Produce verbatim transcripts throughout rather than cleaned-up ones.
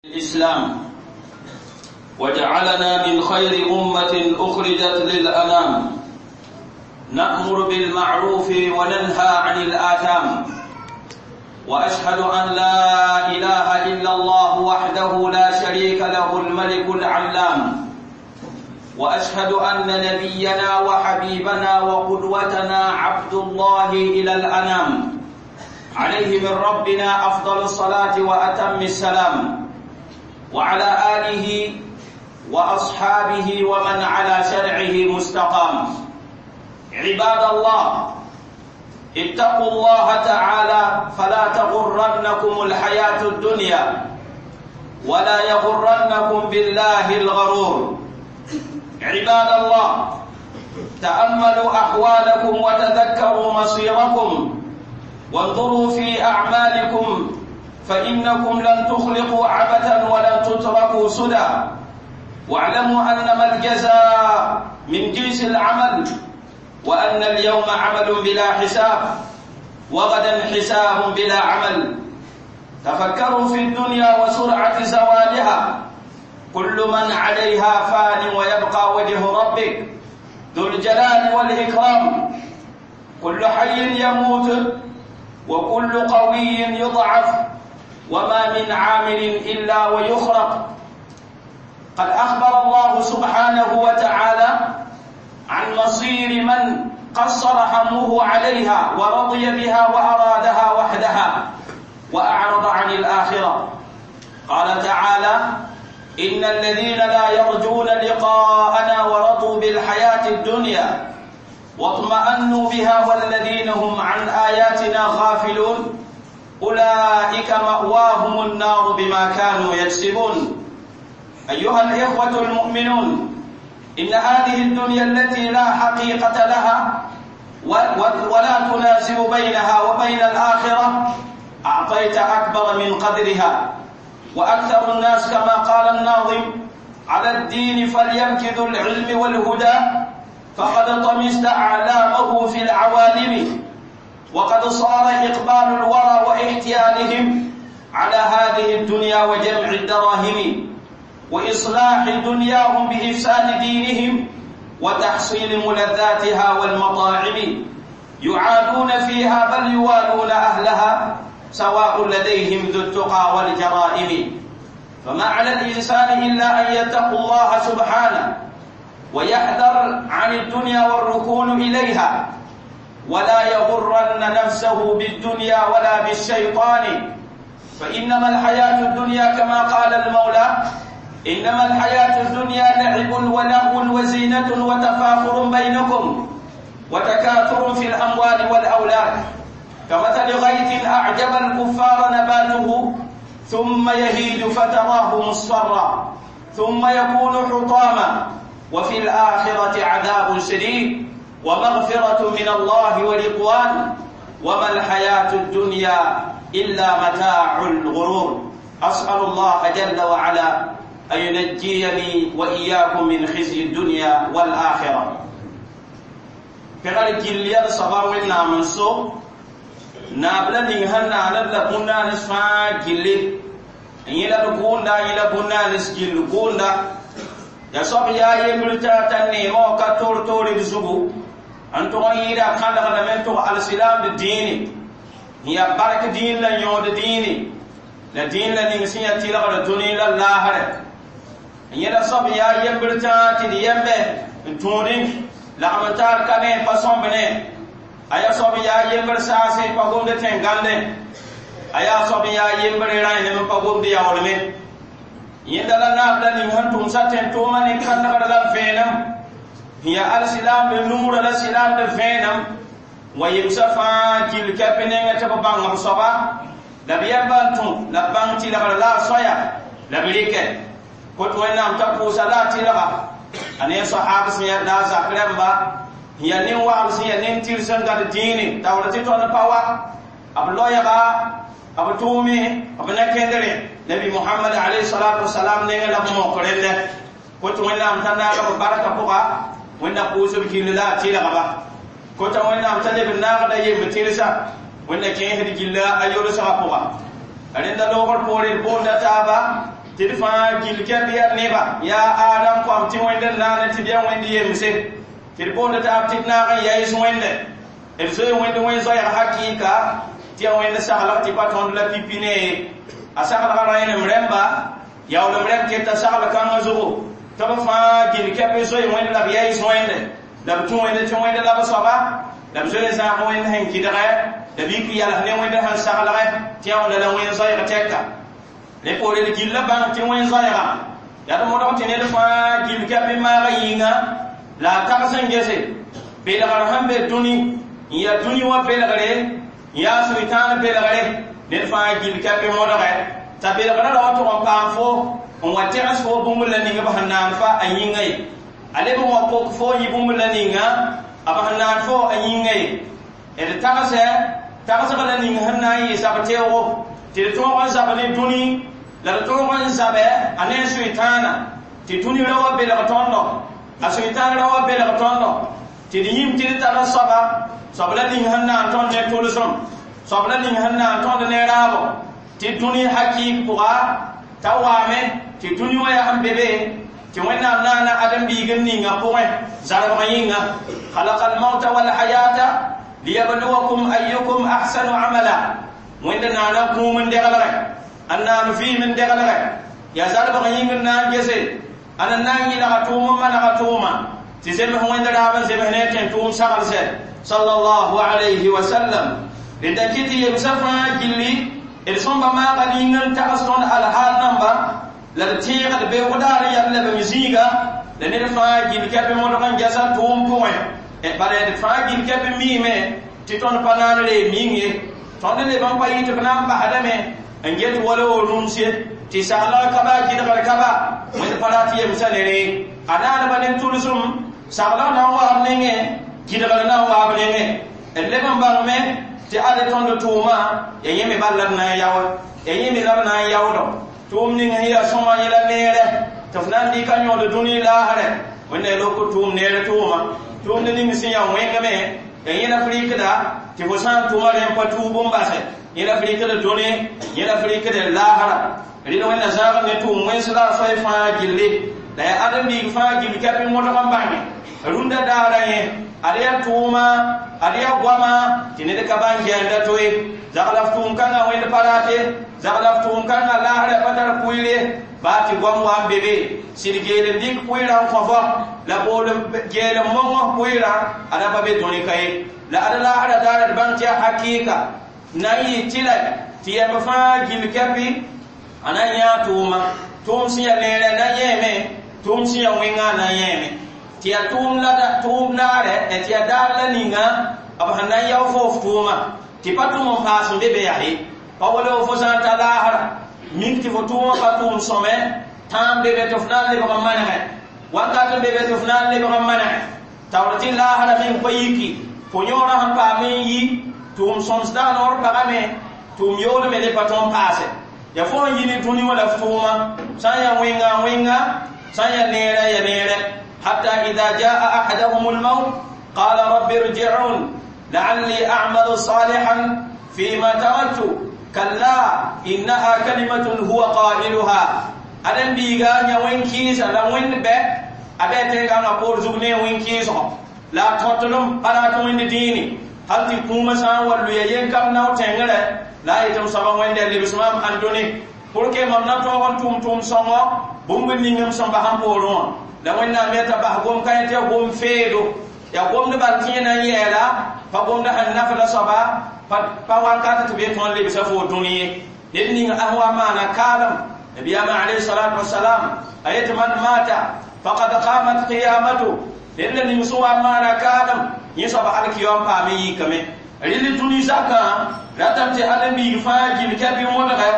الإسلام وجعلنا من خير أمة أخرجت للأنام نأمر بالمعروف وننهى عن الآثام وأشهد أن لا إله إلا الله وحده لا شريك له الملك العلام وأشهد أن نبينا وحبيبنا وقدوتنا عبد الله إلى الأنام عليه من ربنا أفضل الصلاة وأتم السلام وعلى آله وأصحابه ومن على شرعه مستقام. عباد الله، اتقوا الله تعالى فلا تغرنكم الحياة الدنيا ولا يغرنكم بالله الغرور. عباد الله، تأملوا أحوالكم وتذكروا مصيركم وانظروا في أعمالكم، فإنكم لن تخلقوا عبثا ولن تتركوا سدى. واعلموا أنما الجزاء من جنس العمل، وأن اليوم عمل بلا حساب وغدا حساب بلا عمل. تفكروا في الدنيا وسرعة زوالها، كل من عليها فان ويبقى وجه ربك ذو الجلال والإكرام. كل حي يموت وكل قوي يضعف، وما من عامل إلا ويخرق. قد أخبر الله سبحانه وتعالى عن مصير من قصر همه عليها ورضي بها وأرادها وحدها وأعرض عن الآخرة. قال تعالى: إن الذين لا يرجون لقاءنا ورضوا بالحياة الدنيا واطمأنوا بها والذين هم عن آياتنا غافلون أولئك مأواهم النار بما كانوا يكسبون. أيها الإخوة المؤمنون، إن هذه الدنيا التي لا حقيقة لها ولا تناسب بينها وبين الآخرة أعطيت أكبر من قدرها. وأكثر الناس كما قال الناظم: على الدين فليمكث العلم والهدى، فقد طمست أعلامه في العوالم. وقد صار إقبال الورى واحتيالهم على هذه الدنيا وجمع الدراهم وإصلاح دنياهم بإفساد دينهم وتحصيل ملذاتها والمطاعم، يعادون فيها بل يوالون أهلها، سواء لديهم ذو التقى والجرائم. فما على الإنسان إلا أن يتقوا الله سبحانه ويحذر عن الدنيا والركون إليها، ولا يغرن نفسه بالدنيا ولا بالشيطان، فإنما الحياة الدنيا كما قال المولى: إنما الحياة الدنيا لعب ولهو وزينة وتفاخر بينكم وتكاثر في الأموال والأولاد، كمثل غيث أعجب الكفار نباته ثم يهيج فتراه مصفرا ثم يكون حطاما، وفي الآخرة عذاب شديد ومغفرة من الله ورضوان، وما الحياة الدنيا إلا متاع الغرور. أسأل الله جل وعلا أن ينجيني وإياكم من خزي الدنيا والآخرة. Pɛgr gill yaa soaba Wẽnnaam n so naab la ning sẽn naaned la bũn-naanes fãa gilli n yẽla d gʋʋnda n yẽla bũn-naanes gill gʋʋnda ya soab yaa yembr t'a t'a neemã wã ka toor-toore d zugu n tʋg n yɩɩda a kãdgdame n tʋg alsilaamd dĩine n yaa bark dĩin la yõod dĩine la dĩin la ning sẽn yaa tɩlgr dũni la laasrɛ n yẽla soab yaa yembr tã tɩ d yembe n tũudẽ lagm n taar ka ne pa sõmb ne a yaa soab yaa yembr saase pa gomd tẽn-gãndẽ a yaa soab yaa yembr rãenem n pa gomd yaoolme yẽnda la naab la ning sẽn tʋmsa tẽn-tʋʋmã ne kãndgr la vẽenem n yaa alsilaamd numrã la silaamd vẽenem wa yemsã fãa gill kɛp nengẽ tɩ b bãng b soaba la b yɛmba n tũ la b bãng tɩlgr la a soaya la b rɩkɛ kot Wẽnnaam t'a pʋʋsa la a tɩlga a ne sahab sẽn yaa la a zak rãmba n yaa nin-wagl sẽn yaa nin-tɩrs n gad dĩine taoor tɩ tõnd pa wa b loɛɛga b tʋʋme b na-kẽndre Nabi Muhammad alayhi salatu wasalam nengẽ la b mok rẽndɛ kot Wẽnnaam t'a naag b barka pʋga Wẽnna pʋʋsb gill la a tɩlgba kota Wẽnnaam t'a leb n naagda yemb tɩrsa Wẽnna kẽesd gilla a yolsgã pʋga rẽnda loogr poore d boonda taaba tɩ d fãa gill kɛp yaa neba yaa Adam koam tɩ Wẽnd n naane tɩ d yaa Wẽnd yemse tɩ d boond taab tɩ d naag n yaɩs Wẽnde d zoe Wẽnd wẽn-zoɛɛg hakɩɩka tɩ yaa Wẽnd saglg tɩ pa tõnd la pipi ne a saglgã rẽenem rẽmba yaoolem rẽmb keta sagl kãngã zugu tɩ b fãa gill kɛp zoe Wẽnd la b yaɩs Wẽnde la b tũ Wẽnd tɩ Wẽnd la b soaba la b zoe zãag Wẽnd sẽn kɩdgɛ la b yik yals ne Wẽnd sẽn saglgɛ tɩ yaa wẽnda la wẽn-zoɛɛg tɛka rẽ poore d gilla bãng tɩ wẽn-zoɛɛga yaa d modg tɩ ned fãa gill kɛp n maaga yĩnga la a tags n gese belgr sẽn be dũni n yaa dũni wã belgre n yaa sʋɩtãan belgre ned fãa gill kɛp n modgɛ t'a belgrã ra wa tʋg n paam fo n wa tẽgs fo bũmb la ning b sẽn naan fa a yĩnga ye a leb n wa kok fo yɩ bũmb la ninga b sẽn naan fo a yĩnga ye d tagsɛ tagsg la ning sẽn na n yɩ zab teoogo tɩ d tõog n zab ne dũni la d tõog n zabɛ a ne sʋɩtãana tɩ dũni ra wa belg tõndo a sʋɩtãan ra wa belg tõndo tɩ d yĩm tɩ d tara soaba soab la ning sẽn na n tõnd ne tʋlsem soab la ning sẽn na n tõnd ne raabo tɩ dũni hakɩɩk pʋga t'a waame tɩ dũni wã yaa sẽn be be tɩ Wẽnnaam naana ãdem-biig n ninga pʋgẽ zarbg yĩnga خلق الموت والحياة ليبلوكم أيكم أحسن عملا Wẽnd naana kũum n deglgɛ n naan vɩɩm n deglgɛ yaa zarbg yĩng n na n gese a na n yɩlga tʋʋm n manega tʋʋma tɩ zems Wẽnd raab n zems ne tẽn tʋʋm saglsɛ sallallahu alayhi wa sallam rẽnda kɩ tɩ yemsã fãa gilli d sõmba maaga ning n tags tõnd alhaal namba la d tẽegd beoog daar n yal la b zĩiga la ned fãa gill kɛp modg n gɛsa tʋʋm pʋgẽ bala d fãa gill kɛp miime tɩ tõnd pa naan ree ming ye tõnd leb n pa yɩ tɩ b na n basdame n get wala wo rũms ye tɩ saglg ka ba gɩdgr ka ba Wẽnd pa rat yemsã ne ree a naanba ne tʋlsem saglg na n waab nengẽ gɩdgr na n waab nengẽ d leb n bãngme tɩ ad tõnd tʋʋma ya yẽ me bal la d na n yaoe ya yẽ me la b na n yaoodɔ tʋʋm ning sẽn yaa sõma yẽla neerɛ tɩ f na n dɩka yõod dũni laasrɛ Wẽnda lok tʋʋm neer tʋʋma tʋʋmd ning sẽn yaa wẽngame ya yẽ la f rɩkda tɩ fo sã n tʋma rẽ n pa tuub n basɛ yẽ la f rɩkd dũni yẽ la f rɩkd laasra rɩl Wẽnda zãag ne tʋʋm wẽns la a soay fãa gilli la yaa ãdem-biig fãa gill kɛp n modg n bãnge rũndã daara yẽ ad yaa tʋʋma ad yaa goama tɩ ned ka bãn gɛɛnda to ye zagla f tʋʋm kãngã Wẽnd pa rate zagla f tʋʋm kãngã laasrã pa tar pʋɩl ye baa tɩ goam wa n be be sɩd geel n dɩk pʋɩɩrã n kõ fo la bool geel n mong pʋɩɩrã ada pa be dũni ka ye la ad laasrã daara d bãng tɩ yaa hakɩɩka na n yɩ tɩla tɩ yɛmb fãa gill kɛpɩ a na n yãa tʋʋma tʋʋm sẽn yaa neerã na yẽeme tʋʋm sẽn yaa wẽngã na yẽeme tɩ yaa tʋʋm la tʋʋm naarɛ tɩ yaa daar la ninga b sẽn na n yao fo f tʋʋma tɩ pa tʋm n paas n be be yaa ye pa wala fo sã n ta laasra mik tɩ fo tʋʋmã pa tʋʋm sõme tãam be be tɩ f na n lebg n manegɛ wakat n be be tɩ f na n lebg n manegɛ taoor tɩ laasra meng pa yiki fo yõorã sẽn paam n yi tʋʋm sõms dag noor pagame tʋʋm yoolme le pa tõnd paase ya fo n yi ne dũni wã la f tʋʋma sã n yaa wẽnga wẽnga sã n yaa neerã ya neerɛ حتى إذا جاء أحدهم الموت قال رب ارجعون لعلي أعمل صالحا فيما تركت كلا إنها كلمة هو قائلها أدم بيغا nya wen kiisa la wen be abe te ga na por zug ne wen kiiso la totolum para to wen dini hal ti kuma sa wallu ya yen kam naw tengere la yitum saba wen de libismam andoni pour que mam na to on tum tum songo bũmb ningem sẽn bas n poorẽ wã la Wẽnnaam yeta bas gom ka tɩ yaa gom feedo yaa gomd bal tẽ na n yɛɛla pa gomd sẽn nafda soaba pa wakat tɩ be tõnd lebsa fo dũni ye ned ning a wa maana kaalem nabiyama alayhi salatu wasalam a yetɩ man mata faqad qamat qiyamatu ned la ning sẽn wa maana kaalem yẽ soaba alkiyom paame yikame rɩl dũni zakã ratame tɩ ãdem-biig fãa gill kɛp n modgɛ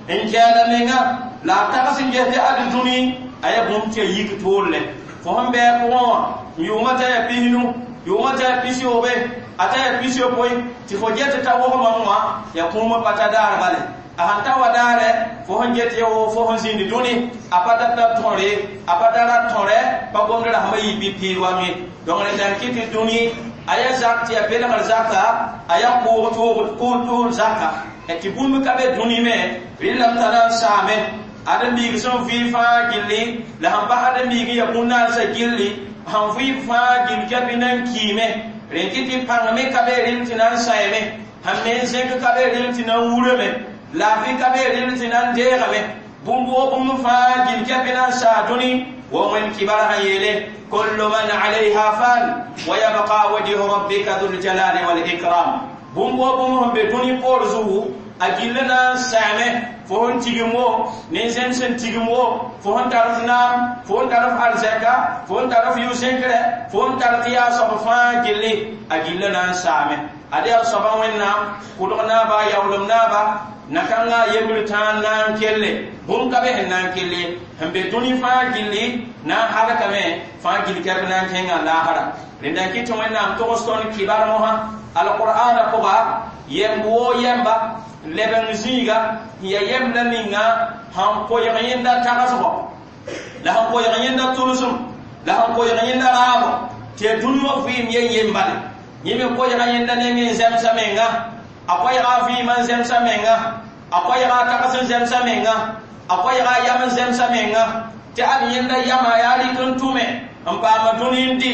n kɛɛda menga la a tags n ges tɩ ad dũni a yaa bũmb tɩ ya yik toorle fo sẽn bɩ pʋgẽ wã yʋʋmã t'a yaa pisnu yʋʋmã t'a yaa pis-yoobe a t'a yaa pis-yopoe tɩ fo get t'a wog mam wã yaa kũumã pa ta daar bale a sẽn ta wa daare fo sẽn get ya wo fo sẽn zĩnd dũni a pa dat la tõre a pa da rat tõrɛ pa gomd rasmã yɩ bɩ piid wam ye donc rẽnda n kɩ tɩ dũni a yaa zak tɩ yaa belgr zaka a yaa kʋʋg tʋʋg zaka tɩ bũmb ka be dũni me rɩlame t'a na n saame Ãdem-biig sẽn vɩ fãa gilli la sẽn bas ãdem-biig n ya bũn-naasã gilli sẽn vɩ fãa gill kɛpɩ na n kiime rẽ tɩ tɩ pãng me ka be rɩl tɩ na n saeme sẽn me n zẽk ka be rɩl tɩ na n wurame laafɩ ka be rɩl tɩ na n deegame bũmb wo bũmb fãa gill kɛpɩ na n saa dũni wa wẽnd kibar sẽn yeele kullu man alayha fan wa yabqa wajhu rabbika dhul jalali wal ikram bũmb wo bũmb sẽn be dũni poor zugu a gilli na n saame fo sẽn tigim wo nin-zẽm sẽn tigim wo fo sẽn tar f naam fo sẽn tar f arzɛka fo sẽn tar f yʋ-zẽnkre fo sẽn tar tɩ yaa soab fãa gilli a gilli na n saame ad yaa soaba wẽnnaam kʋdg naaba yaoolem naaba na-kãngã yembr tãa n na n kelle bũmb ka be sẽn na n kelle sẽn be dũni fãa gilli na n halkame fãa gill kɛb na n kẽnga laasra rẽnda n kɩt tɩ wẽnnaam togs tõnd kibar mosã alqur'ana pʋga yemb woo yɛmba lebeng zĩiga n ya yemb la ninga sẽn koɛɛg yẽnda tagsgɔ la sẽn koɛɛg yẽnda tʋlsem la sẽn koɛɛg yẽnda raabo tɩ ya dũni wã vɩɩm yen yem bale yẽ me koɛɛga yẽnda neng n zẽmsa menga a koɛɛga a vɩɩmã n zẽmsa menga a koɛɛga a tags n zẽmsa menga a koɛɛga a yam n zẽmsa menga tɩ ad yẽnda yamã yaa rɩk n tʋme n paama dũni n dɩ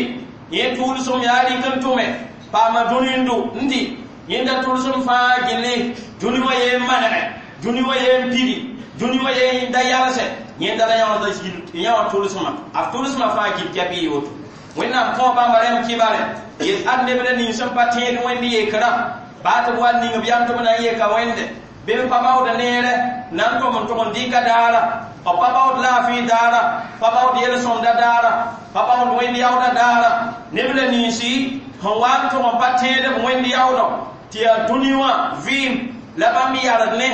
yẽ tʋʋlsem yaa rɩk n tʋme paama dũni n dʋ n dɩ yẽnda tʋlsem fãa gilli dũni wã yeen manegɛ dũni wã yeen pidi dũni wã yeen da yalsɛ yẽnda la yã wã tʋlsmã a tʋlsmã fãa gil kɛp yɩ woto wẽnnaam kõo bãmba rẽmb kibare yet ad neb la nins sẽn pa tẽed wẽnd yekrã baa tɩ b wa ning b yam tɩ b na n yeka wẽnde bɩ b pa baood neere na n tom n tʋg n dɩka daara b pa baood laafɩ daara pa baood yel-sõmda daara pa baood wẽnd yaooda daara neb la ninsi sẽn wa n tʋg n pa tẽed b wẽnd yaoodɔ tɩ yaa dũni wã vɩɩm la bãmb yard ne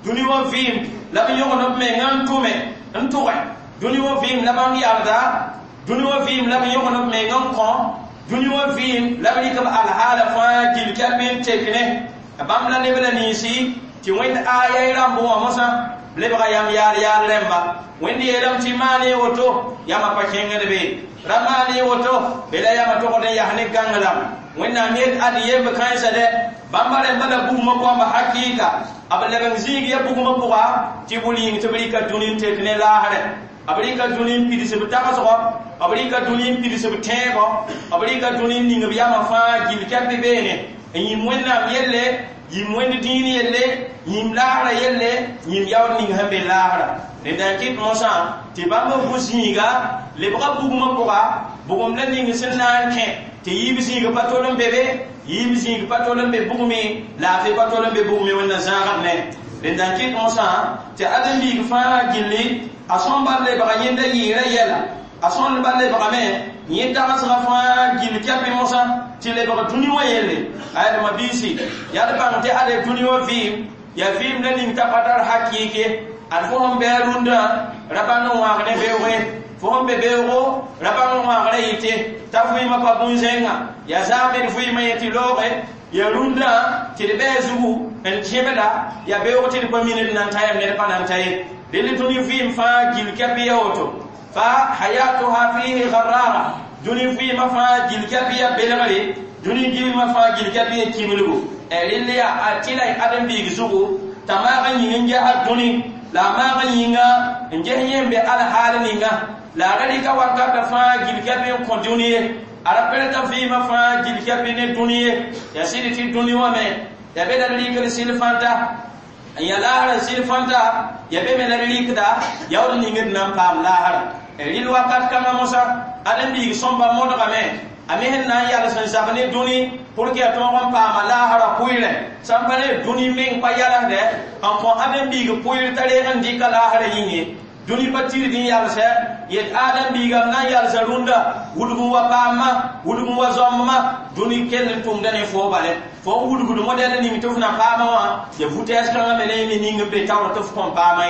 dũni wã vɩɩm la b yõgd b menga n tʋme n tʋgɛ dũni wã vɩɩm la bãmb yarda dũni wã vɩɩm la b yõgd b menga n kõ dũni wã vɩɩm la b rɩk b alhaala fãa gil kɛp n tek ne bãmb la neb la ninsi tɩ wẽnd aya y rãmb wã mosã lebga yam yaal yaal rẽmba wẽnd yeelame tɩ maan woto yãmba pa kẽngd be ra maan woto be la yãmba togd n yas ne gãnglame wẽnnaam yet ad yemb kãensa dɛ bãmba rẽmba la bugmã goamba hakɩɩka b lebeng zĩig ya bugmã pʋga tɩ bʋ yĩng tɩ b rɩka dũni n tek ne laasrɛ b rɩka dũni n pids b tagsgɔ b rɩka dũni n pids b tẽebɔ b rɩka dũni n ning b yamã fãa gil kɛp beene n yĩm wẽnnaam yelle yĩm wẽnd dĩin yelle yĩm laasrã yelle yĩm yaood ning sẽn be laasrã rẽnda n kɩt mosã tɩ bãmb bu-zĩiga lebga bugmã pʋga bugum la ning sẽn na n kẽ tɩ yiib zĩig pa tol n be be yiib zĩig pa tol n be bugme laafɩ pa tol n be bugme wẽnna zãagd ne rẽnda n kɩt mosã tɩ ãdem-biig fãa gilli a sõn bal lebga yẽnda yɩɩrã yɛla a sõn bal lebgame yẽ tagsgã fãa gill kɛpɩ mosã tɩ lebg dũni wã yelle ayadma biisi yaa d bãng tɩ ade dũni wã vɩɩm yaa vɩɩm la ning t'a pa tar hakɩɩk ye ad fo sẽn bɩ a rũndã ra bãng n wãag ne beooge fo sẽn be beoogo ra bãng n wãagrã yɩte t'a vɩɩmã pa bũn-zẽnga yaa zaame d vɩɩmã yẽ tɩ looge ya rũndã tɩ d bɩ a zugu n tẽbda yaa beoog tɩ d pa mi ned na n ta yam ned pa na n ta ye dẽnd dũni vɩɩm fãa gill kɛp ya woto fa hayatuha fihi gharrara dũni vɩɩmã fãa gill kɛp ya belgre dũni vɩɩmã fãa gill kɛp ya kimilgu rɩll yaa a tɩla ãdem-biig zugu t'a maag n yĩng n gesa dũni la a maag n yĩnga n ges yẽ be alhaal ninga la a ra rɩka wakatã fãa gill kɛp n kõ dũni ye a ra perta vɩɩmã fãa gill kɛp ne dũni ye yaa sɩd tɩ dũni wã me ya be la d rɩkd sɩl fãnta n ya laasrã sɩl fãnta ya be me la d rɩkda yaood ning d na n paam laasrã rɩl wakat kãngã mosã ãdem-biig sõmba modgame a me sẽn na n yals n zab ne dũni pour que ya tõog n paama laasrã pʋɩɩrẽ sãn pa ne dũni meng pa yalsdɛ n kõ ãdem-biig pʋɩɩr t'a reeg n dɩka laasrã yĩng ye dũni pa tɩrd n yalsɛ yet ãdem-biigame na n yalsa rũndã wudg n wa paamma wudg n wa zãmbmã dũni kell n tʋmda ne foo bale fo n wudgd modɛl ning tɩ f na paamã wã ya vitesse kãngã me ne ning n be taoor tɩ f kõn paamã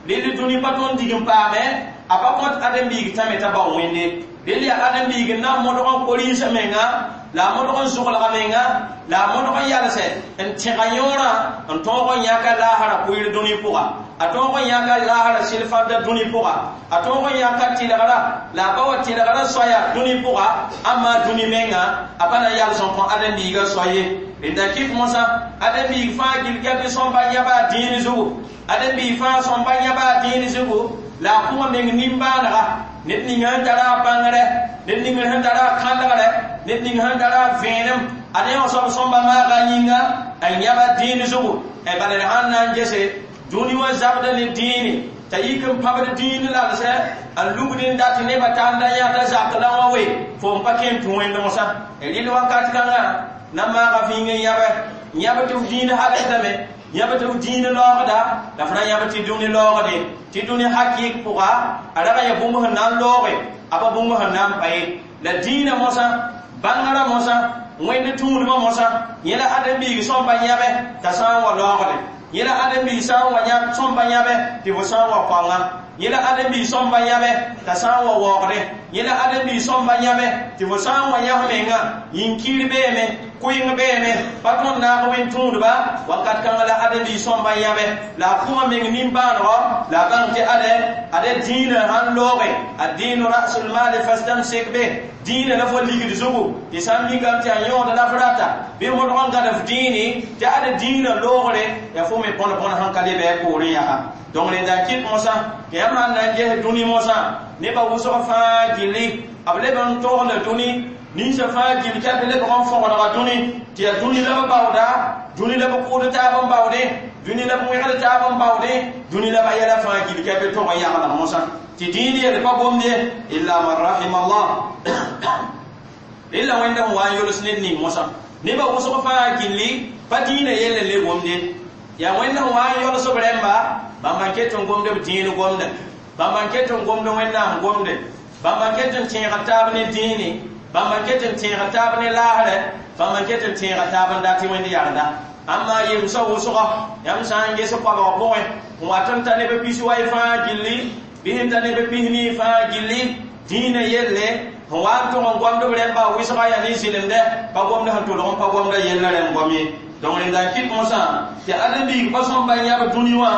ye rɩl dũni pa tõnd dig n paame a pa kõt ãdem-biig tãme t'a bao wẽnde rɩl yaa ãdem-biig n na n modg n ko-rĩnsã menga la a modg n zʋglga menga la a modg n yalsɛ n tẽga yõorã n tõog n yãka laasrã pʋɩɩr dũni pʋga a tõog n yãka laasrã sɩl fãnta dũni pʋga a tõog n yãka tɩlgrã la a pa wa tɩlgrã soaya dũni pʋga ãmma dũni menga a pa na n yals n kõ ãdem-biigã soa ye Rẽnda kɩt mosã ãdem-biig fãa gill kɛp sõmba yãba a dĩin zugu ãdem-biig fãa sõmba yãba a dĩin zugu la a kʋma meng nimbãanega ned ning sẽn tara a bãngrɛ ned ning sẽn tara a kãndgrɛ ned ning sẽn tara a vẽenem ad yã soab sõmba maaga a yĩnga a yãba dĩin zugu bala d sãn na n gese dũni wã zabda ne dĩine t'a yik n pãbd dĩin lalsɛ n lugd n dat nebã tanda yã t'a zak la wã we fo n pa kẽ n tũ wẽnd mosã rɩl wakat kãngã na maaga fĩing n yãbɛ yãb tɩ f dĩin halsdame yãb tɩ f dĩin laoogda la f ra yãb tɩ dũni laoogde tɩ dũni hakɩɩk pʋga a raga ya bũmb sẽn na n looge a pa bũmb sẽn na n pa ye la dĩinã mosã bãngrã mosã wẽnd tũudmã mosã yẽ la ãdem-biig sõmba yãbɛ t'a sã n wa laoogde yẽ la ãdem-biig sã n wa sõmba yãbɛ tɩ fo sã n wa koanga yẽ la ãdem-biig sõmba yãbɛ t'a sã n wa waoogde yẽ la ãdem-biig sõmba yãbɛ tɩ fo sã n wa yãs menga yĩn-kiir beeme kʋɩng beeme pa tõnd naag wẽnd tũudba wakat kãngã la ãdem-biig sõmba yãbɛ la a kʋma meng nimbãanegɔ la a bãng tɩ ade ade dĩinã sãn looge ad-dĩinu rasul maali fastamsik bih dĩinã la fo ligd zugu tɩ sã n mikame tɩ a yõod la f rata bɩ modg n gãd f dĩini tɩ ade dĩinã loogre yaa fo me bõn bõn sẽn ka leb a poorẽ yaa donc rẽnda n kɩt mosã tɩ yãmb sãn na n ges dũni mosã nebã wʋsg fãa gilli b leb n togla dũni ninsã fãa gill kɛp lebg n fõgdga dũni tɩ yaa dũni la b baooda dũni la b kʋʋd taab n baoodẽ dũni la b wẽgd taab n baoodẽ dũni la b yɛla fãa gill kɛp tog n yaglg mosã tɩ dĩin yel pa gomd ye illa man rahima allah rẽla wẽnda sẽn wa n yols ned ning mosã nebã wʋsg fãa gilli pa dĩinã yell n le gomde yaa wẽnd sẽn wa n yols b rẽmba bãmba n ket n gomd b dĩin gomdẽ bãmba n ket n gomd wẽnnaam gomde bãmba n ket n tẽega taab ne dĩine bãmba n ket n tẽega taab ne laasrɛ bãmba n ket n tẽega taab n dat tɩ wẽnd yagda amma yemsã wʋsga yãmb sã n ges koabg pʋgẽ n wat n ta neb pis wai fãa gilli bɩ sẽn ta neb pis nii fãa gilli dĩinã yelle sẽn wa n tʋg n gomd b rẽmba wɩsga yaa ne zɩlemdɛ pa gomd sẽn tʋlg n pa gomda yella rẽmb gom ye donc rẽnda n kɩt mosã tɩ ãdem-biig pa sõmba yãb dũni wã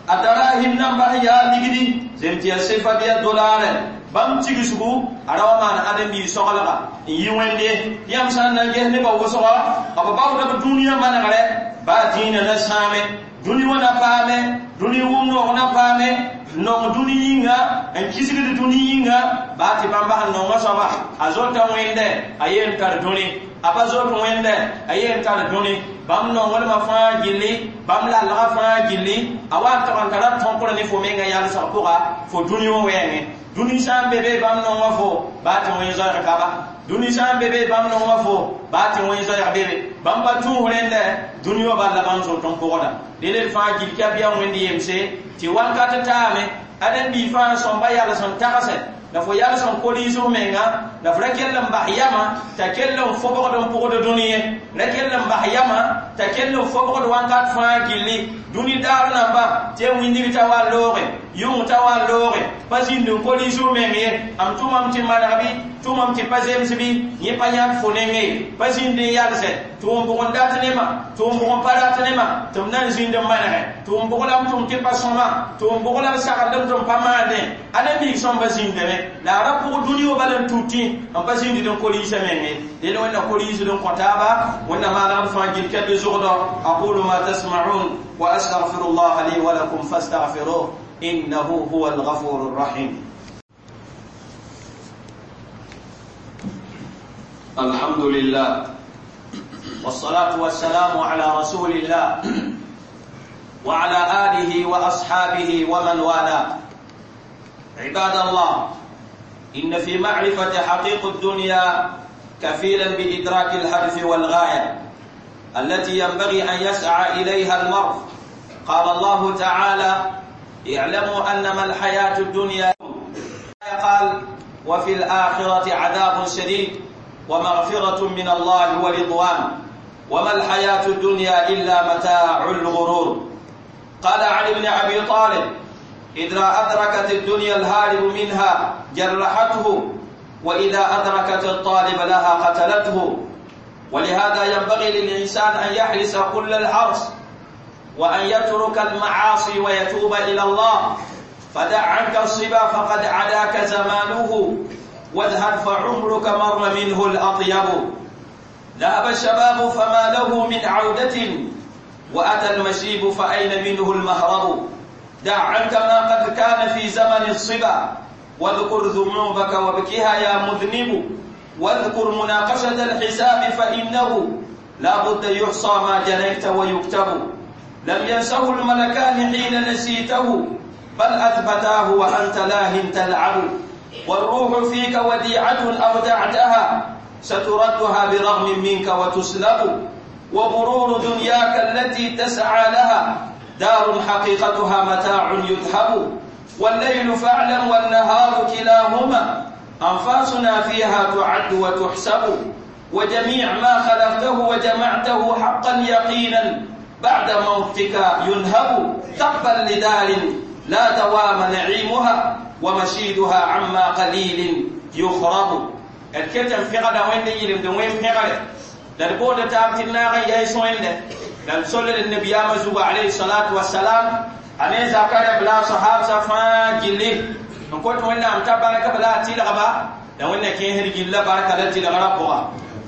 a darahim namba sẽn yaa ligdi zem tɩ yaa sefa bɩ yaa dolaarɛ bãmb tigsgu a ra wa maan ãdem-biig soglga n yi wẽnde yãmb sã n na n ges nebã wʋsga b baooda b dũniyã manegrɛ baa dĩinã na sãame dũni wã na paame dũni wʋm noog na paame nong dũni yĩnga n kisgd dũni yĩnga baa tɩ bãmba sẽn nonga soaba a zota wẽnde a yen tar dũni a pa zot wẽnde a yen tar dũni bãmb nonglmã fãa gilli bãmb lalga fãa gilli a wa n tag n tara tõkr ne fo menga yalsg pʋga fo dũni wã wɛɛngẽ dũni sã n be be bãmb nonga fo baa tɩ wẽn zoɛɛg ka ba dũni sã n be be bãmb nonga fo baa tɩ wẽn zoɛɛg bebe bãmb pa tũus rẽndɛ dũni wã bal la bãmb zot n pʋgda dẽled fãa gill ka bɩa wẽnd yemse tɩ wakat taame ãdem-biig fãa sõmba yals n tagsɛ la fo yals n koliis f menga la f ra kell n bas yama t'a kell n fobgd n pʋgd dũni ye ra kell n bas yama t'a kell n fobgd wakat fãa gilli dũni daar namba tɩ ya wĩndig t'a wa looge yʋng t'a wa looge pa zĩnd n koliis f meng ye am tʋmame tɩ maneg bɩ tʋmame tɩ pa zems bɩ yẽ pa yãk fo nenge ye pa zĩnd n yalsɛ tʋʋm bʋg n dat nema tʋʋm bʋg n pa rat nema tɩ m na n zĩnd n manegɛ tʋʋm bʋg la m tʋm tɩ pa sõma tʋʋm bʋg la b sagl m tɩ m pa maandẽ ãdem-biig sõmba zĩndame la a ra pʋg dũni wã bal n tutẽ n pa zĩnd n koliisã menge del wẽnna koliisd n kõ taaba wẽnna maanegd fãa gill kɛp zʋgdɔ aqulu ma tasma'un wa astaghfiru llaha li wa lakum fastaghfiruh innahu huwa alghafuru rrahim الحمد لله والصلاة والسلام على رسول الله وعلى آله وأصحابه ومن والاه. عباد الله، إن في معرفة حقيقة الدنيا كفيلا بإدراك الهدف والغاية التي ينبغي أن يسعى إليها المرء. قال الله تعالى: اعلموا أنما الحياة الدنيا. قال: وفي الآخرة عذاب شديد ومغفرة من الله ورضوان وما الحياة الدنيا إلا متاع الغرور. قال علي بن أبي طالب: إذا أدركت الدنيا الهارب منها جرحته، وإذا أدركت الطالب لها قتلته. ولهذا ينبغي للإنسان أن يحرص كل الحرص وأن يترك المعاصي ويتوب إلى الله. فدع عنك الصبا فقد عداك زمانه، واذهب فعمرك مر منه الأطيب. ذهب الشباب فما له من عودة، وأتى المشيب فأين منه المهرب. دع عنك ما قد كان في زمن الصبا، واذكر ذنوبك وابكها يا مذنب. واذكر مناقشة الحساب فإنه لا بد يحصى ما جنيت ويكتب. لم ينسه الملكان حين نسيته، بل أثبتاه وأنت لاه تلعب. والروح فيك وديعة أودعتها، ستردها برغم منك وتسلب. وغرور دنياك التي تسعى لها، دار حقيقتها متاع يذهب. والليل فاعلم والنهار كلاهما، أنفاسنا فيها تعد وتحسب. وجميع ما خلقته وجمعته حقا يقينا، بعد موتك ينهب. تبا لدار لا دوام نعيمها، ومشيدها عما قليل يخرب. الكتم في غدا وين يلم وين في غدا للبودة تابتنا يا سوين لم صلى النبي مزوب عليه الصلاة والسلام أنا زكاة بلا صحاب صفا جلي نقول وين أم تبارك بلا تيلغبا لو إن كيه رجلا بارك الله تيلغرا بوا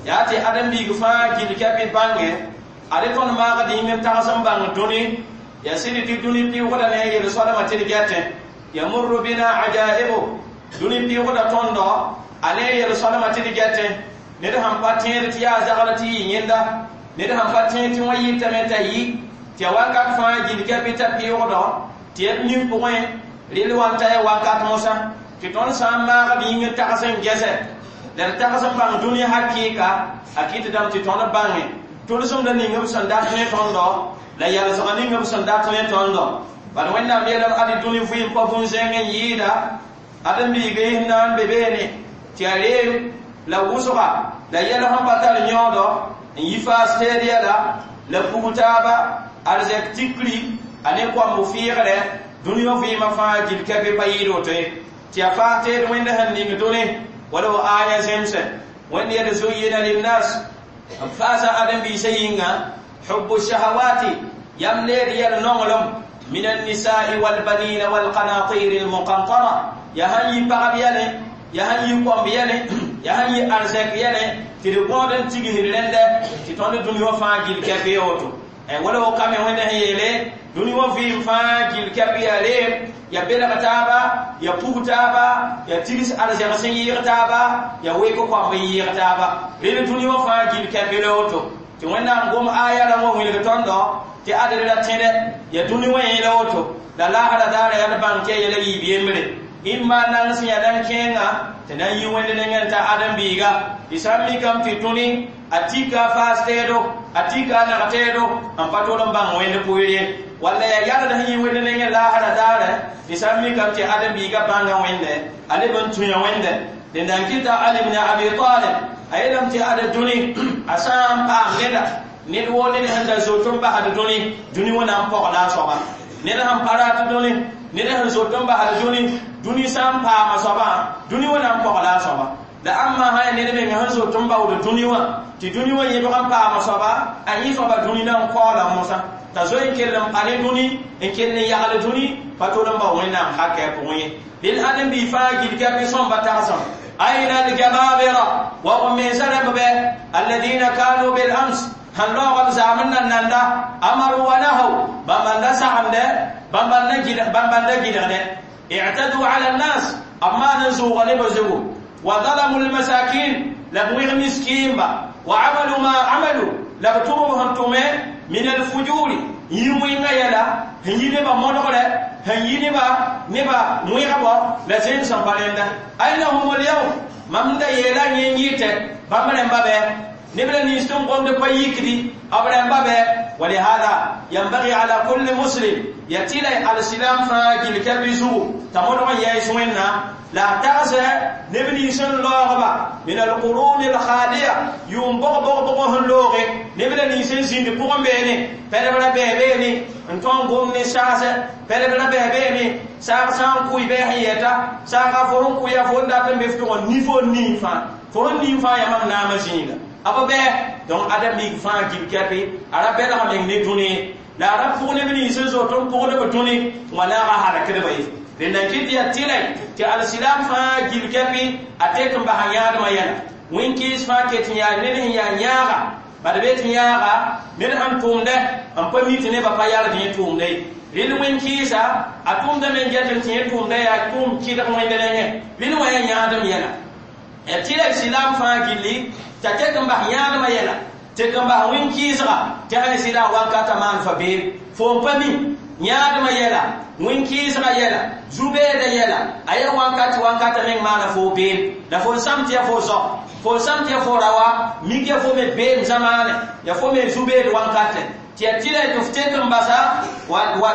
يأتي أدم بيغفا جل كبي بانه أريتون ما قديم تاسم بان دوني يا سيدي تدوني بيوغدا نه يرسول ما تيلغاته يمر بنا عجائبه دوني بيوغدا توندو أنا يرسول ما تيلغاته ned sãn pa tẽed tɩ yaa zagl tɩ yɩ yẽnda ned sãn pa tẽed tɩ wã yɩtame t'a yi tɩ ya wakat fãa gil kɛpɩ t'a pɩʋgdɔ tɩ d nin pʋgẽ rel wa n ta ya wakat mosã tɩ tõnd sã n maag d yĩng tags n gɛsɛ la d tags n bãng dũni hakɩɩka a kɩtdame tɩ tõnd bãnge tʋlsemda ning b sẽn dat ne tõndo la yalsga ning b sẽn dat ne tõndo bala Wẽnnaam yeelame ad dũni vɩɩm pa bũn-zẽng n yɩɩda ad n biiga yis na n be beene tɩ a reem la wʋsga la yɛl sẽn pa tar yõodo n yi faas teed yɛla la pug taaba arzɛk tikri a ne koamb fɩɩgre dũni wã vɩɩmã fãa gil kɛpɩ pa yɩɩd woto ye tɩ yaa faas teed Wẽnd sẽn ning dũni wala wa aya zemse Wẽnd yel zuyyina linnas b faasa ãdem-biisã yĩnga حب الشهوات يم leed yɛl nonglem من النساء والبنين والقناطير المقنطرة ya sãn yi pagb yɛlẽ ya sãn yi koamb yɛlẽ ya sãn yi arzɛk yɛlẽ tɩ d gõod n tigsd rẽndɛ tɩ tõnd dũni wã fãa gil kɛp ye woto wala wo kame Wẽnd sẽn yeele dũni wã vɩɩm fãa gil kɛp yaa reem ya belg taaba ya pug taaba ya tigs arzɛg sẽn yɩɩg taaba ya wek koamb n yɩɩg taaba rel dũni wã fãa gil kɛp la woto tɩ Wẽnnaam gom aya rãmb wã wilg tõndo tɩ adr ra tẽdɛ ya dũni wã yẽla woto la laasra daara yaa d bãng tɩ ya yɛla yiib yembre imma nang sẽn yaa nan kẽenga tɩ na n yi Wẽnd nengẽ t'a ãdem-biiga tɩ sã n mikame tɩ tõni a tika a faas teedo a tika a nag teedo n pa tol n bãng Wẽnd pʋɩr ye walla yaa yalд sẽn yi Wẽnd nengẽ laasra daare tɩ sã n mikame tɩ ãdem-biiga bãnga Wẽnde a leb n tũya Wẽnde dẽnda n kɩta Ali ibn Abi Talib a yeelame tɩ ad dũni a sã n paam neda ned woo ned sẽn da zot n basd dũni dũni wã na n pɔgla a soaba ned sẽn pa rat dũni ned sẽn zot n basd dũni dũni sã n paama soabã dũni wã na n pɔgla a soaba la ãmba sã yaa ned meng sẽn zot n baood dũni wã tɩ dũni wã yẽbg n paama soaba a yẽ soaba dũni na n kaoola mosã t'a zoe n kell n pa ne dũni n kell n yagl dũni pa tol n bao Wẽnnaam hakɛ a pʋgẽ ye dẽn ãdem-biig fãa gil kɛpɩ sõmba tagsem أين الجبابرة وهم من سلم الذين كانوا بالأمس هل لوغم زامنا نندا أمروا ونهوا بمن سعم ده بمن نجد ده اعتدوا على الناس أما نزوغ لبزغوا وظلموا المساكين لبويغ مسكين وعملوا ما عملوا لبتوهم من الفجور يوين يلا هنيني با مونغره هنيني با نبا مويغبا لا زين سامبالندا أين هم اليوم مامدا يلا ينيت بامرن بابه نبلا نيستون قوم دي بايكدي أبرن بابه ولهذا ينبغي على كل مسلم يتيلا على السلام فاجل كبيسو تمر يسوينا لا تغسى نبني سن لوغبا من القرون الخالية يوم بغ بغ بغ لوغي نبني سن سين بوغم بيني بلا بيبيني انتون قوم نساسة بلا بلا بيبيني ساق سان كوي بيحيتا ساق فرون كوي فون داتن بفتون نيفو نيفا فرون نيفا يمام نام زينغا أبا بي دون أدم ميك فان جيب كابي أرى بلا من نتوني لا رب فون نبني سن زوتون فون بتوني ولا راح كده بيه لأن كده يا تيلي تي الإسلام فا جيل كابي أتيكم بحياة ما يلا wẽn-kɩɩs fãa ket n yaa ned sẽn yaa yãaga bad be tɩ yãaga ned sãn tʋmdɛ n pa mi tɩ nebã pa yalg yẽ tʋʋmda ye rɩl wẽn-kɩɩsa a tʋmdame n get n tɩ yẽ tʋʋmda yaa tʋʋm kɩdg wẽnd nengẽ rɩl wã yaa yãadem yɛla ya tɩ la silaam fãa gilli t'a tek n bas yãadmã yɛla tek n bas wẽn-kɩɩsga tɩ sã sɩda wankata maan fa beem fo n pa mi yãadmã yɛla wẽn-kɩɩsga yɛla zu-beeda yɛla a yaa wankati wankata meng maana fo beem la fo n sãm tɩ ya fo zao fo n sãm tɩ ya fo rawa mik ya fo me beem zamaane ya fo me zu-beed wankatɛ tɩ ya tɩ la tɩ f tek n basa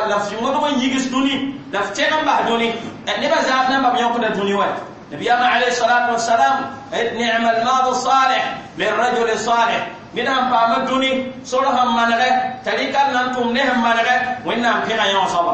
la f modg n yigs dũni la f teg n bas dũni nebã zaas namba b yõkda dũni wa نبينا عليه الصلاة والسلام نعم الماضي الصالح للرجل الصالح ned sãn paama dũni sor sẽn manegɛ t'a rɩka n na n tʋm ne sẽn manegɛ Wẽnnaam pẽga yão soaba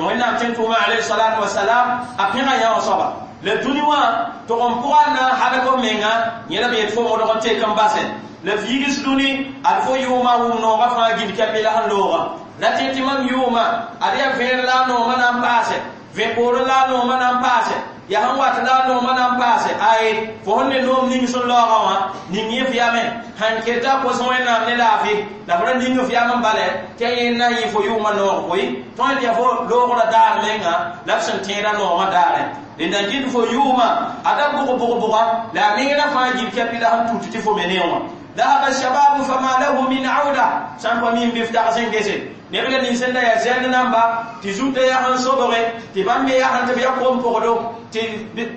Wẽnnaam tẽn tʋʋma alayhi salatu wasalam a pẽga yão soaba la dũni wã tʋg n pʋga n na n hadg f menga yẽ la b yet fo modg n tek n basɛ la f yigs dũni ad fo yʋʋma wʋm noogã fãa gil kɛpɩ la sẽn looga la tẽ tɩ mam yʋʋma ad yaa vẽer la a noomã na n paase vẽ-poorẽ la a noomã na n paase yaa sẽn wat la a noomã na n paase aye fo sẽn ne noom ning sẽn laoogã wã ning yẽ f yame sãn keta kos Wẽnnaam ne laafɩ la f ra ning f yam n bale tɩ a yẽnd na n yɩ fo yʋʋmã noog koe tõe tɩ yaa fo loogrã daar menga la f sẽn tẽedã noogã daare rẽnda n kɩt fo yʋʋma ada bʋg bʋg bʋga la a mengrã fãa gil kɛpɩ la sẽn tut tɩ fo me ne wã ذهب الشباب فما له من عودة sãn pa mi n bɩ f tag sẽn gese neb la nins n da yaa zɛnd namba tɩ zutã yaa sẽn sobge tɩ bãmb me yaa sẽn tɩ b yaa kom-pʋgdo tɩ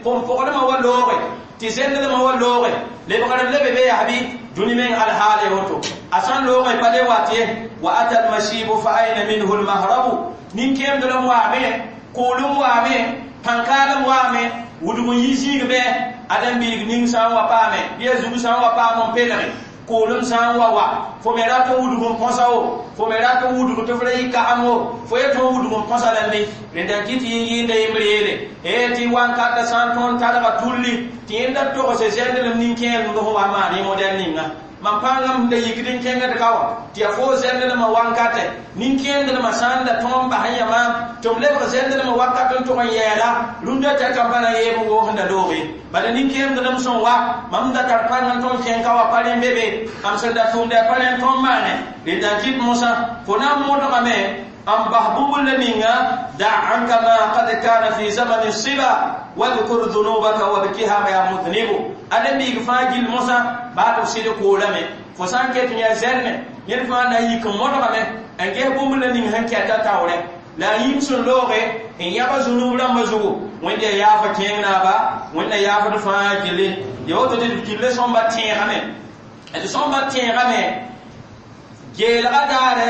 kom-pʋgdmã wa looge tɩ zɛndlmã wa looge lebgr n lebe be yaa bɩ dũni meng alhaal woto a sãn looge pa le wat ye wa ata almashibu fa aina minhu almahrabu nin-kẽemdlem waame kʋʋlem waame pãn-kaalem waame wudg n yi zĩig bɩ ãdem-biig ning sã n wa paame bɩ a zug sã n wa paam n pelge kʋʋlem sã n wa wa fo me rat n wudg n põsa wo fo me rat n wudg tɩ f ra yɩ kaam wo fo ye tõe n wudg n põsa rãmbe rẽnda n kɩ tɩ yẽ yɩɩnda yembr yeele ee tɩ wankata sã n tõnd targa tulli tɩ yẽnda togse zɛndlem nin-kẽer n sẽn wa maan yẽ modɛl ninga mam pãngam sẽn da yikd n kẽngd ka wã tɩ yaa fo zɛndlmã wankatɛ nin-kẽendlmã sã n da tõog n bas n yã maam tɩ m lebg zɛndlmã wakat n tʋg n yɛɛla rũndã t'a kambã na yeeb n woos n da looge bala nin-kẽemdlem sẽn wa mam da tar pãng n tõnd kẽng ka wa pa rẽ be be am sẽn da tʋmda pa rẽ n tõnd maane rẽnda n kɩt mosã fo na n modgame n bas bũmb la ninga da anka ma qad kana fi zamani siba wadhkur dhunubaka wabkiha ya mudhnibu ãdem-biig fãa gill mosã baa tɩ f sɩd koolame fo sã n ket n yaa zɛrmɛ yẽd fãa na n yik n modgame n ges bũmb la ning sẽn kɛta taoorɛ la a yĩm sẽn looge n yãba zunub rãmbã zugu Wẽnd yaa yaafa kẽeng naaba Wẽnna yaafd fãa gilli ya woto tɩ d gilli sõmba tẽegame d sõmba tẽegame geelga daare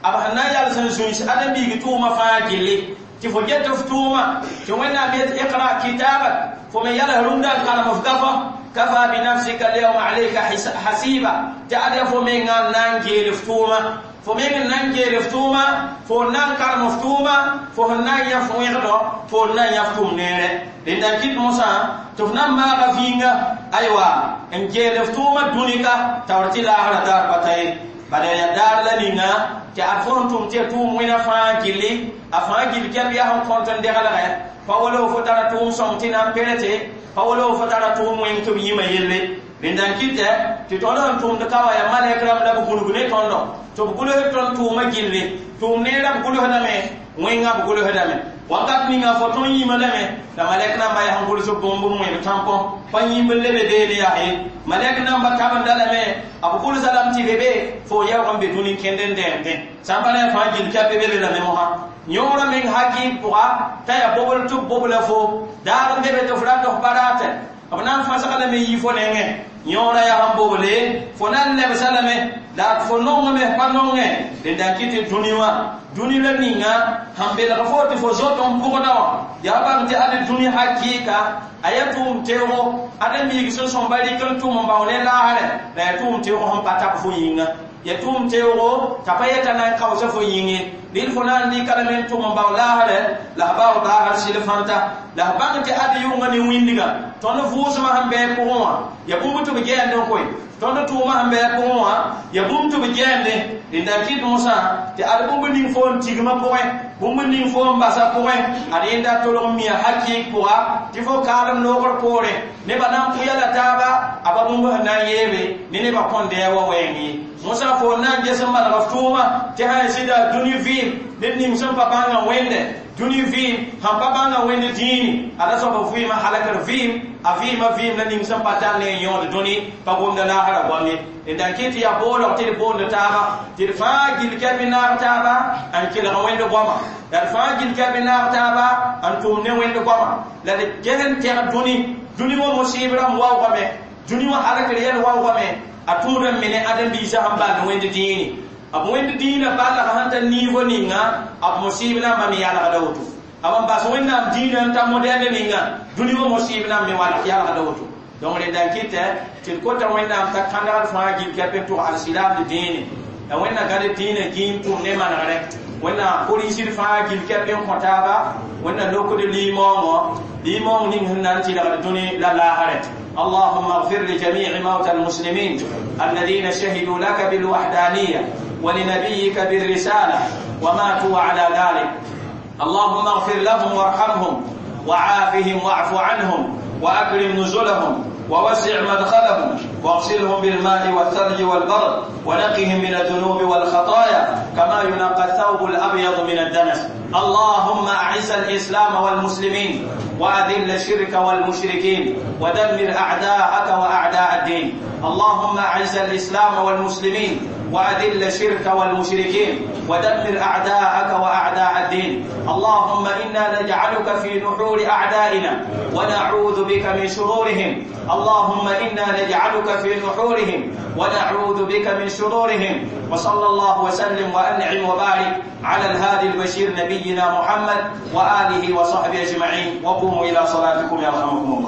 b sẽn na n yals n zũis ãdem-biig tʋʋmã fãa gilli tɩ fo get f tʋʋma tɩ Wẽnnaam yet iqra kitabak fo me yals rũndã n kalem f gafã kafa binafsika alyawma alayka hasiba tɩ ad yaa fo menga n na n geel f tʋʋma fo meng n na n geel f tʋʋma fo n na n kalem f tʋʋma fo sẽn na n yã f wẽgdɔ fo n na n yã f tʋm neere rẽnda n kɩt mosã tɩ f na n maaga vĩinga aywa n geel f tʋʋma dũnika taoor tɩ laasrã daar pa ta ye bala yaa daar la ninga tɩ ad fo sẽn tʋm tɩ ya tʋʋm wẽna fãa gilli a fãa gill kɛp yaa sẽn kõt n deglgɛ pa wala fo tara tʋʋm sõng tɩ na n perete pa wala fo tara tʋʋm wẽng tɩ b yĩma yelle rẽnda n kɩtɛ tɩ tõnd sẽn tʋmd ka wa yaa malɛk rãmb la b gũlg ne tõndo tɩ b gʋls tõnd tʋʋmã gilli tʋʋm neerã b gʋlsdame wẽngã b gʋlsdame wakat ninga fo tõnd yĩmã lame la malɛk namba yaa sẽn gʋls bũmb n wẽb tãmpõ pa yĩmb n lebe beene yaa ye malɛk namba tabenda lame b gʋlsa lame tɩ be be fo yaoog n be dũni kẽnd n dẽemdẽ sã n pa ne fãa gill kɛp be be lame mosã yõorã meng hakɩɩd pʋga t'a yaa bobl tɩ b bobla fo daar n be be tɩ f rat f baraatɛ b na n fãsg lame yɩ fo nengẽ yõorã yaa sẽn boble fo na n lebsa lame la fo nongame f pa nongẽ rẽnda n kɩ tɩ dũni wã dũni la ninga sẽn belg fo tɩ fo zot n pʋgda wã yaa bãng tɩ ad dũni hakɩɩka a yaa tʋʋm teoogo ãdem-biig sẽn sõmba rɩk n tʋm n bao ne laasrɛ la yaa tʋʋm teoog sẽn pa tab fo yĩnga ya tʋʋm teoogo t'a pa yeta na n kaoosa fo yĩnge rɩl fo na n rɩka lame n tʋm n bao laasrɛ la f baoog daasr sɩl fãnta la f bãng tɩ ad yʋnga ne wĩndgã tõnd vʋʋsmã sẽn bɩ pʋgẽ wã ya bũmb tɩ b gɛɛnd n koe tõnd tʋʋmã sẽn bɩ pʋgẽ wã ya bũmb tɩ b gɛɛnde Rẽnda n kɩt mosã tɩ ad bũmb ning fo n tigmã pʋgẽ, bũmb ning fo n basa pʋgẽ, ad yẽnda tolg n mia hakɩɩk pʋga tɩ fo kaalem noogr poorẽ nebã na n pʋya la taaba a pa bũmb sẽn na n yeebe ne nebã kõn dɛɛ wa wɛɛng ye. Mosã fo n na n ges n maneg f tʋʋma tɩ sã n zɩda dũni vɩɩm ned ning sẽn pa bãngã wẽnde dũni vɩɩm sãn pa bãngã wẽnd dĩini ada soab b vɩɩmã halakr vɩɩm a vɩɩmã vɩɩm la ning sẽn pa tar ne n yõod dũni pa gomda laasra goam ye. Rẽnda n kɩt tɩ yaa boolg tɩ d boond taaba tɩ d fãa gill kɛp n naag taaba n kelg wẽnd goama la d fãa gill kɛp n naag taaba n tʋm ne wẽnd goama la d ges n tɛg dũni dũni wã musɩɩb rãmb waoogame dũni wã halakr yɛl waoogame a tũud n me ne ãdem-biisã sẽn ball wẽnd dĩini b wẽnd dĩinã ballg sẽn ta niivo ninga b musɩɩb nambã me yalgda woto b n bas wẽnnaam dĩinã n ta modɛl ninga dũni wã musɩɩb namba me yalgda woto. Donc rẽnda n kɩtɛ tɩ d kota wẽnnaam t'a kãndgd fãa gill kɛp n tʋg alsilaamd dĩine la wẽnna gãd dĩinã gĩim tʋm ne manegre wẽnna korinsd fãa gill kɛp n kõ taaba wẽnna lokd limaoongõ limaoong ning sẽn na n tɩlgd dũni la laasrɛ. اللهم اغفر لجميع موتى المسلمين الذين شهدوا لك بالوحدانية ولنبيك بالرسالة وماتوا على ذلك. اللهم اغفر لهم وارحمهم وعافهم واعف عنهم وأكرم نزلهم ووسع مدخلهم واغسلهم بالماء والثلج والبرد ونقهم من الذنوب والخطايا كما ينقى الثوب الأبيض من الدنس. اللهم أعز الإسلام والمسلمين وأذل الشرك والمشركين ودمر أعداءك وأعداء الدين. اللهم أعز الإسلام والمسلمين وأذل الشرك والمشركين ودمر أعداءك وأعداء الدين. اللهم إنا نجعلك في نحور أعدائنا ونعوذ بك من شرورهم. اللهم إنا نجعلك في نحورهم ونعوذ بك من شرورهم. وصلى الله وسلم وأنعم وبارك على الهادي البشير نبينا محمد وآله وصحبه أجمعين. وقوموا إلى صلاتكم يرحمكم الله.